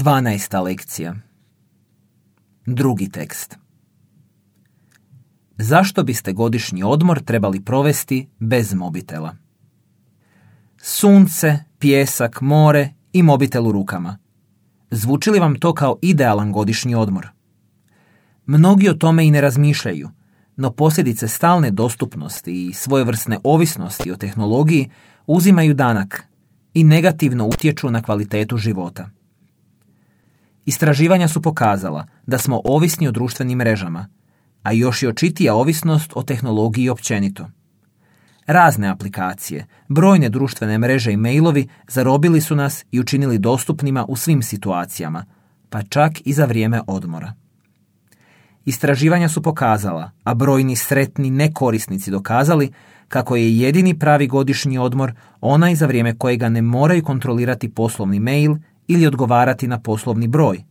12. lekcija. Drugi tekst. Zašto biste godišnji odmor trebali provesti bez mobitela? Sunce, pijesak, more i mobitel u rukama. Zvuči li vam to kao idealan godišnji odmor? Mnogi o tome i ne razmišljaju, no posljedice stalne dostupnosti i svojevrsne ovisnosti o tehnologiji uzimaju danak i negativno utječu na kvalitetu života. Istraživanja su pokazala da smo ovisni o društvenim mrežama, a još i očitija ovisnost o tehnologiji općenito. Razne aplikacije, brojne društvene mreže i mailovi zarobili su nas i učinili dostupnima u svim situacijama, pa čak i za vrijeme odmora. Istraživanja su pokazala, a brojni sretni nekorisnici dokazali, kako je jedini pravi godišnji odmor onaj za vrijeme kojega ne moraju kontrolirati poslovni mail ili odgovarati na poslovni broj,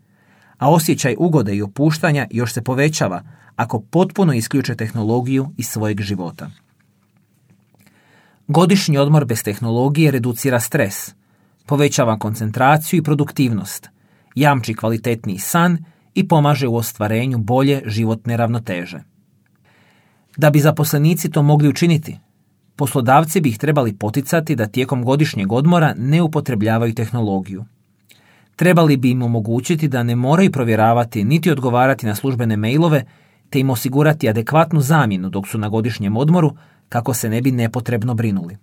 a osjećaj ugode i opuštanja još se povećava ako potpuno isključe tehnologiju iz svojeg života. Godišnji odmor bez tehnologije reducira stres, povećava koncentraciju i produktivnost, jamči kvalitetniji san i pomaže u ostvarenju bolje životne ravnoteže. Da bi zaposlenici to mogli učiniti, poslodavci bi ih trebali poticati da tijekom godišnjeg odmora ne upotrebljavaju tehnologiju. Trebali bi im omogućiti da ne moraju provjeravati niti odgovarati na službene mailove, te im osigurati adekvatnu zamjenu dok su na godišnjem odmoru, kako se ne bi nepotrebno brinuli.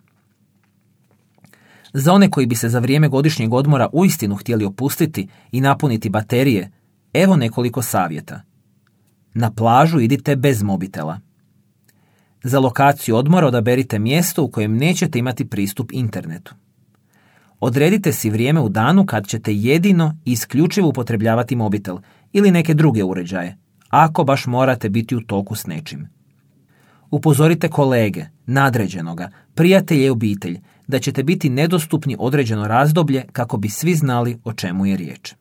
Za one koji bi se za vrijeme godišnjeg odmora uistinu htjeli opustiti i napuniti baterije, evo nekoliko savjeta. Na plažu idite bez mobitela. Za lokaciju odmora odaberite mjesto u kojem nećete imati pristup internetu. Odredite si vrijeme u danu kad ćete jedino i isključivo upotrebljavati mobitel ili neke druge uređaje, ako baš morate biti u toku s nečim. Upozorite kolege, nadređenoga, prijatelje i obitelj da ćete biti nedostupni određeno razdoblje kako bi svi znali o čemu je riječ.